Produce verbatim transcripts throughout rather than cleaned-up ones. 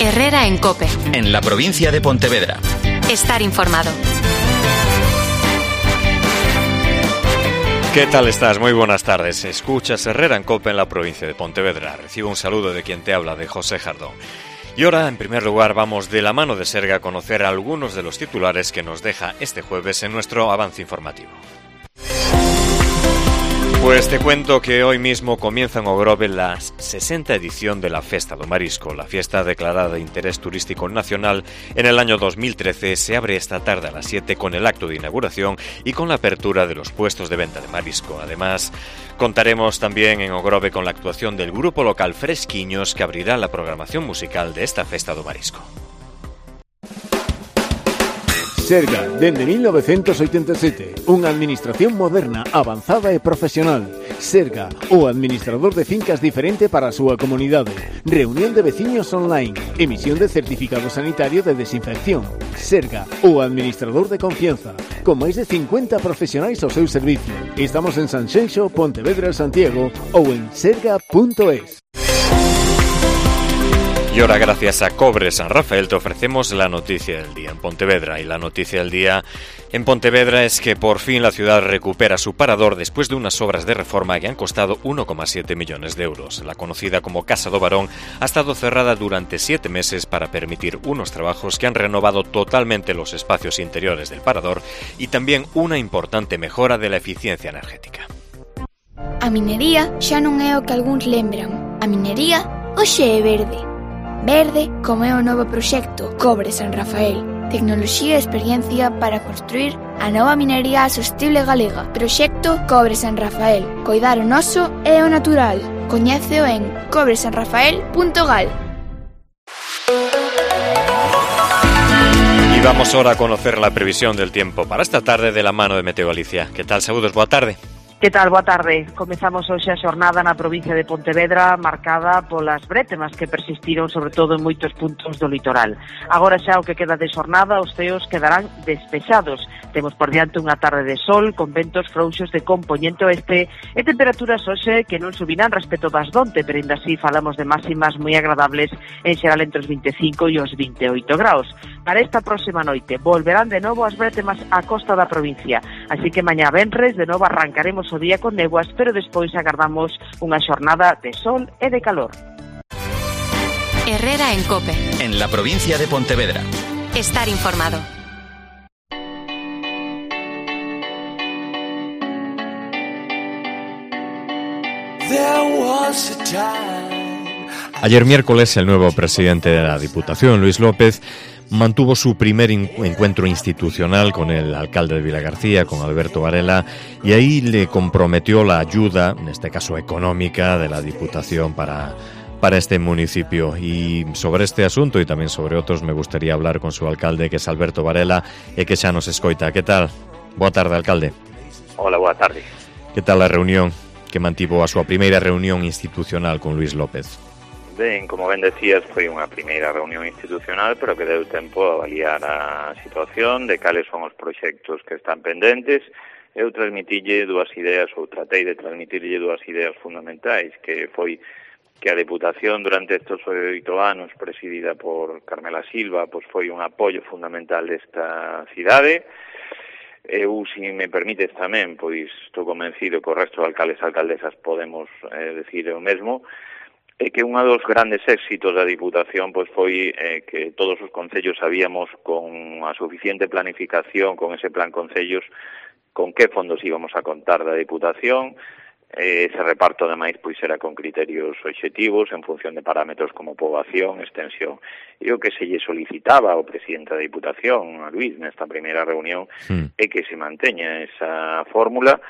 Herrera en COPE. En la provincia de Pontevedra. Estar informado. ¿Qué tal estás? Muy buenas tardes. Escuchas Herrera en COPE en la provincia de Pontevedra. Recibo un saludo de quien te habla, de José Jardón. Y ahora, en primer lugar, vamos de la mano de Serga a conocer algunos de los titulares que nos deja este jueves en nuestro avance informativo. Pues te cuento que hoy mismo comienza en Ogrove la sesenta edición de la Festa do Marisco. La fiesta declarada de interés turístico nacional en el año dos mil trece se abre esta tarde a las siete con el acto de inauguración y con la apertura de los puestos de venta de marisco. Además, contaremos también en Ogrove con la actuación del grupo local Fresquiños, que abrirá la programación musical de esta Festa do Marisco. Serga, dende mil novecentos oitenta e sete, unha administración moderna, avanzada e profesional. Serga, o administrador de fincas diferente para a súa comunidade. Reunión de veciños online. Emisión de certificado sanitario de desinfección. Serga, o administrador de confianza. Con máis de cincuenta profesionais ao seu servicio. Estamos en Sanxenxo, Pontevedra, Santiago ou en serga punto es. Y ahora, gracias a Cobre San Rafael, te ofrecemos la noticia del día en Pontevedra. Y la noticia del día en Pontevedra es que por fin la ciudad recupera su parador después de unas obras de reforma que han costado uno coma siete millones de euros. La conocida como Casa do Barón ha estado cerrada durante siete meses para permitir unos trabajos que han renovado totalmente los espacios interiores del parador y también una importante mejora de la eficiencia energética. A minería xa non é o que algúns lembran. A minería hoxe é verde. Verde como é o novo proxecto Cobre San Rafael. Tecnoloxía e experiencia para construir a nova minería sostible galega. Proxecto Cobre San Rafael. Coidar o noso e o natural. Coñéceo en cobre san rafael punto gal. Y vamos ahora a conocer la previsión del tiempo para esta tarde de la mano de Meteo Galicia. ¿Qué tal? Saúdos, boa tarde. Que tal? Boa tarde. Comezamos hoxe a xornada na provincia de Pontevedra marcada polas brétemas que persistiron sobre todo en moitos puntos do litoral. Agora xa o que queda de xornada, os ceos quedarán despexados. Temos por diante unha tarde de sol con ventos frouxos de compoñente oeste e temperaturas hoxe que non subirán respecto das donte, pero ainda así falamos de máximas moi agradables en xeral entre os vinte e cinco e os vinte e oito graus. Para esta próxima noite volverán de novo as brétemas á costa da provincia, así que mañá venres de novo arrancaremos o día con neguas, pero despois agardamos unha xornada de sol e de calor. Herrera en COPE. En la provincia de Pontevedra. Estar informado. Ayer miércoles el nuevo presidente de la Diputación, Luis López, mantuvo su primer encuentro institucional con el alcalde de Vilagarcía, con Alberto Varela, y ahí le comprometió la ayuda, en este caso económica, de la Diputación para, para este municipio. Y sobre este asunto y también sobre otros me gustaría hablar con su alcalde, que es Alberto Varela, e que xa nos escoita. Que tal? Boa tarde, alcalde. Hola, boa tarde. Que tal a reunión que mantivo a súa primeira reunión institucional con Luis López? Ben, como ben decías, foi unha primeira reunión institucional, pero que deu tempo a avaliar a situación, de cales son os proxectos que están pendentes. Eu transmitille dúas ideas, ou tratei de transmitirlle dúas ideas fundamentais, que foi que a Deputación durante estes oito anos, presidida por Carmela Silva, pois foi un apoio fundamental desta cidade. Eu, se me permites tamén, pois estou convencido que o resto de alcaldes e alcaldesas podemos eh, decir o mesmo, é que un dos grandes éxitos da Diputación pois foi eh, que todos os concellos sabíamos con a suficiente planificación, con ese plan concellos, con que fondos íbamos a contar da Diputación. Eh, ese reparto, ademais, pois era con criterios obxectivos en función de parámetros como poboación, extensión. E o que se lle solicitaba ao presidente da Diputación, a Luís, nesta primeira reunión, sí, é que se manteña esa fórmula,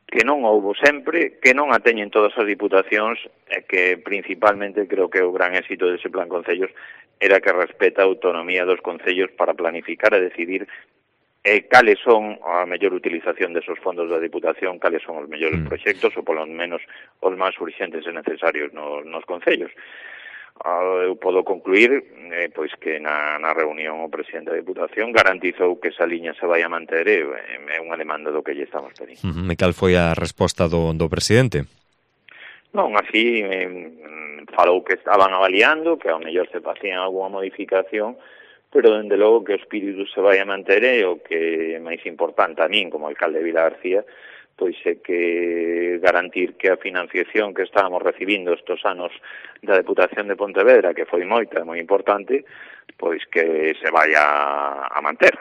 que non houbo sempre, que non a teñen todas as diputacións, e que principalmente creo que o gran éxito dese plan concellos era que respeta a autonomía dos concellos para planificar e decidir eh, cales son a mellor utilización desos fondos da Diputación, cales son os mellores mm. proxectos, ou polo menos os máis urxentes e necesarios nos, nos concellos. Eu podo concluir eh, pois que na, na reunión o presidente da Diputación garantizou que esa liña se vai a manter, e é unha demanda do que lle estamos pedindo. Uh-huh. E cal foi a resposta do, do presidente? Non, así eh, falou que estaban avaliando, que ao mellor se facían algunha modificación, pero dende logo que o espírito se vai a manter e o que é máis importante a min como alcalde de Vilagarcía, pois é que garantir que a financiación que estábamos recibindo estes anos da Deputación de Pontevedra, que foi moita, moi importante, pois que se vai a, a manter.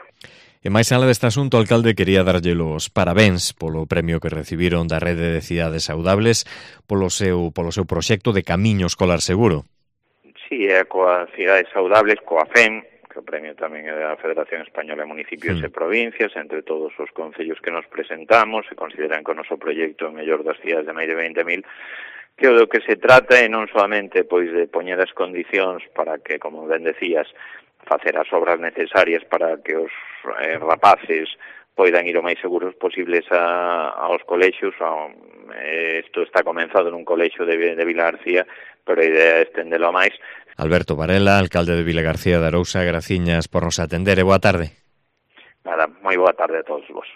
E máis alá deste asunto, o alcalde quería darlle os parabéns polo premio que recibiron da Rede de Cidades Saudables polo seu polo seu proxecto de Camiño Escolar Seguro. Si, é coa Cidades Saudables, coa F E M, que o premio tamén é da Federación Española de Municipios mm. e Provincias, entre todos os concellos que nos presentamos, se consideran que o noso proxecto é o mellor das cidades de máis de veinte mil, que o do que se trata é non solamente pois de poñer as condicións para que, como ben decías, facer as obras necesarias para que os eh, rapaces poidan ir o máis seguros posibles a, aos colexios. Isto está comenzado nun colexio de, de Vilagarcía, pero a idea é estendelo a máis. Alberto Varela, alcalde de Vilagarcía de Arousa, graciñas por nos atender e boa tarde. Nada, moi boa tarde a todos vos.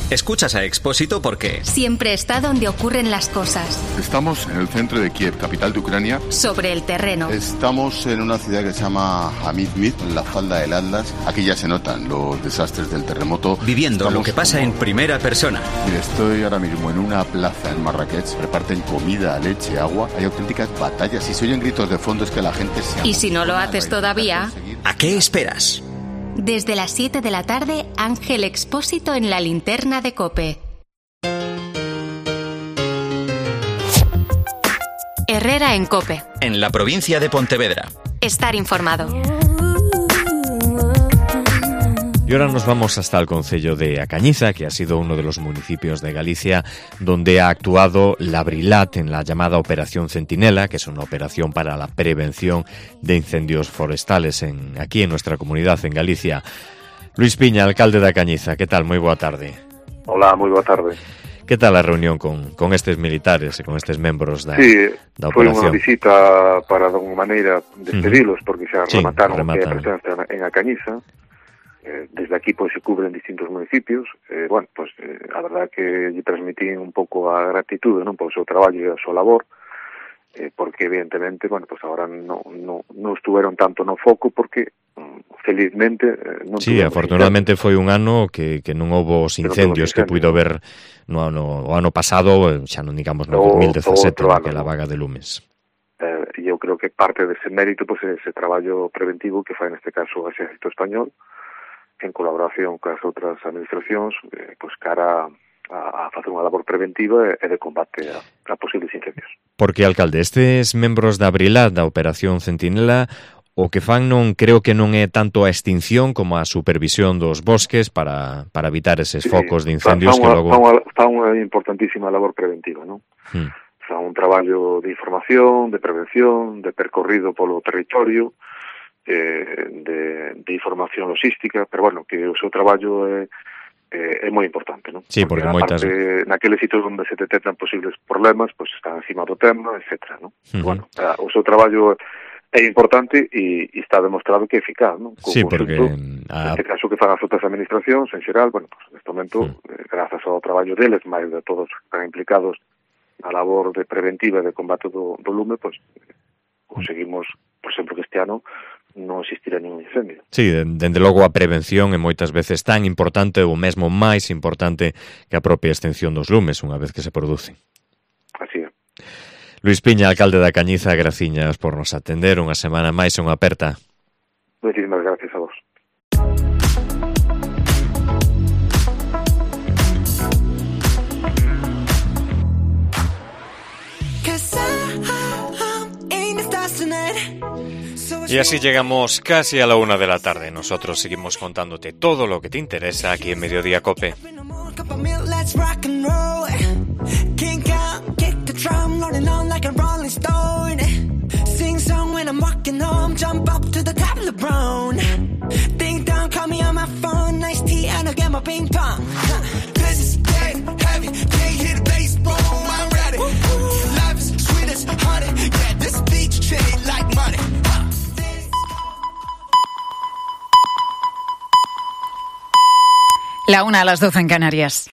Escuchas a Expósito porque siempre está donde ocurren las cosas. Estamos en el centro de Kiev, capital de Ucrania. Sobre el terreno. Estamos en una ciudad que se llama Hamidmid, en la falda del Atlas. Aquí ya se notan los desastres del terremoto. Viviendo Estamos lo que pasa como... en primera persona. Mire, estoy ahora mismo en una plaza en Marrakech. Reparten comida, leche, agua. Hay auténticas batallas y se oyen gritos de fondo. Es que la gente se... Y si no lo haces todavía... ¿A qué esperas? Desde las siete de la tarde, Ángel Expósito en la linterna de COPE. Herrera en COPE. En la provincia de Pontevedra. Estar informado. Y ahora nos vamos hasta el concello de A Cañiza, que ha sido uno de los municipios de Galicia donde ha actuado la Brilat en la llamada Operación Centinela, que es una operación para la prevención de incendios forestales en, aquí en nuestra comunidad, en Galicia. Luis Piña, alcalde de A Cañiza, ¿qué tal? Muy boa tarde. Hola, moi boa tarde. ¿Qué tal la reunión con, con estes militares e con estes membros da, sí, da operación? Sí, foi unha visita para, de alguma maneira, despedilos, uh-huh. porque xa sí, remataron que a presencia en A Cañiza. Desde aquí pois se cubren distintos municipios. Eh, bueno, pois eh, a verdade que lle transmitín un pouco a gratitude, non, polo seu traballo e a súa labor, eh, porque evidentemente, bueno, pois agora non no, no estuveron tanto no foco porque felizmente eh, non sí, afortunadamente foi un ano que, que non houbo os incendios que puido ver no ano, o ano pasado, xa non digamos no dos mil dezasete, naquela vaga de lumes. Eh, e eu creo que parte dese mérito pois ese traballo preventivo que fai neste caso o Exército Español en colaboración cas outras administracións, eh, pois cara a, a facer unha labor preventiva e de combate a, a posibles incendios. Porque, alcalde, estes membros da Brilat, da Operación Centinela, o que fan non creo que non é tanto a extinción como a supervisión dos bosques para, para evitar eses sí, focos de incendios fa, fa que unha, logo... Fa unha, fa unha importantísima labor preventiva, non? Hmm. Fa un traballo de información, de prevención, de percorrido polo territorio, De, de información logística, pero bueno, que o seu traballo é, é, é moi importante, non? Sí, porque, porque moitas... Parte, naqueles sitios onde se detectan posibles problemas, pois pues están encima do tema, etcétera, non? Uh-huh. Bueno, o seu traballo é importante e, e está demostrado que é eficaz, non? Sí, porque... A... Neste caso que fan as outras administracións, en xeral, bueno, pues neste momento, uh-huh. eh, grazas ao traballo deles, máis de todos que están implicados na labor de preventiva de combate do, do lume, pois pues, conseguimos, por exemplo, que este ano non existirá ningún incendio. Sí, dende logo a prevención é moitas veces tan importante ou mesmo máis importante que a propia extinción dos lumes unha vez que se producen. Así é. Luis Piña, alcalde da Cañiza, graciñas por nos atender unha semana máis e unha aperta. Moitísimas gracias a vos. Y así llegamos casi a la una de la tarde. Nosotros seguimos contándote todo lo que te interesa aquí en Mediodía COPE. La una a las doce en Canarias.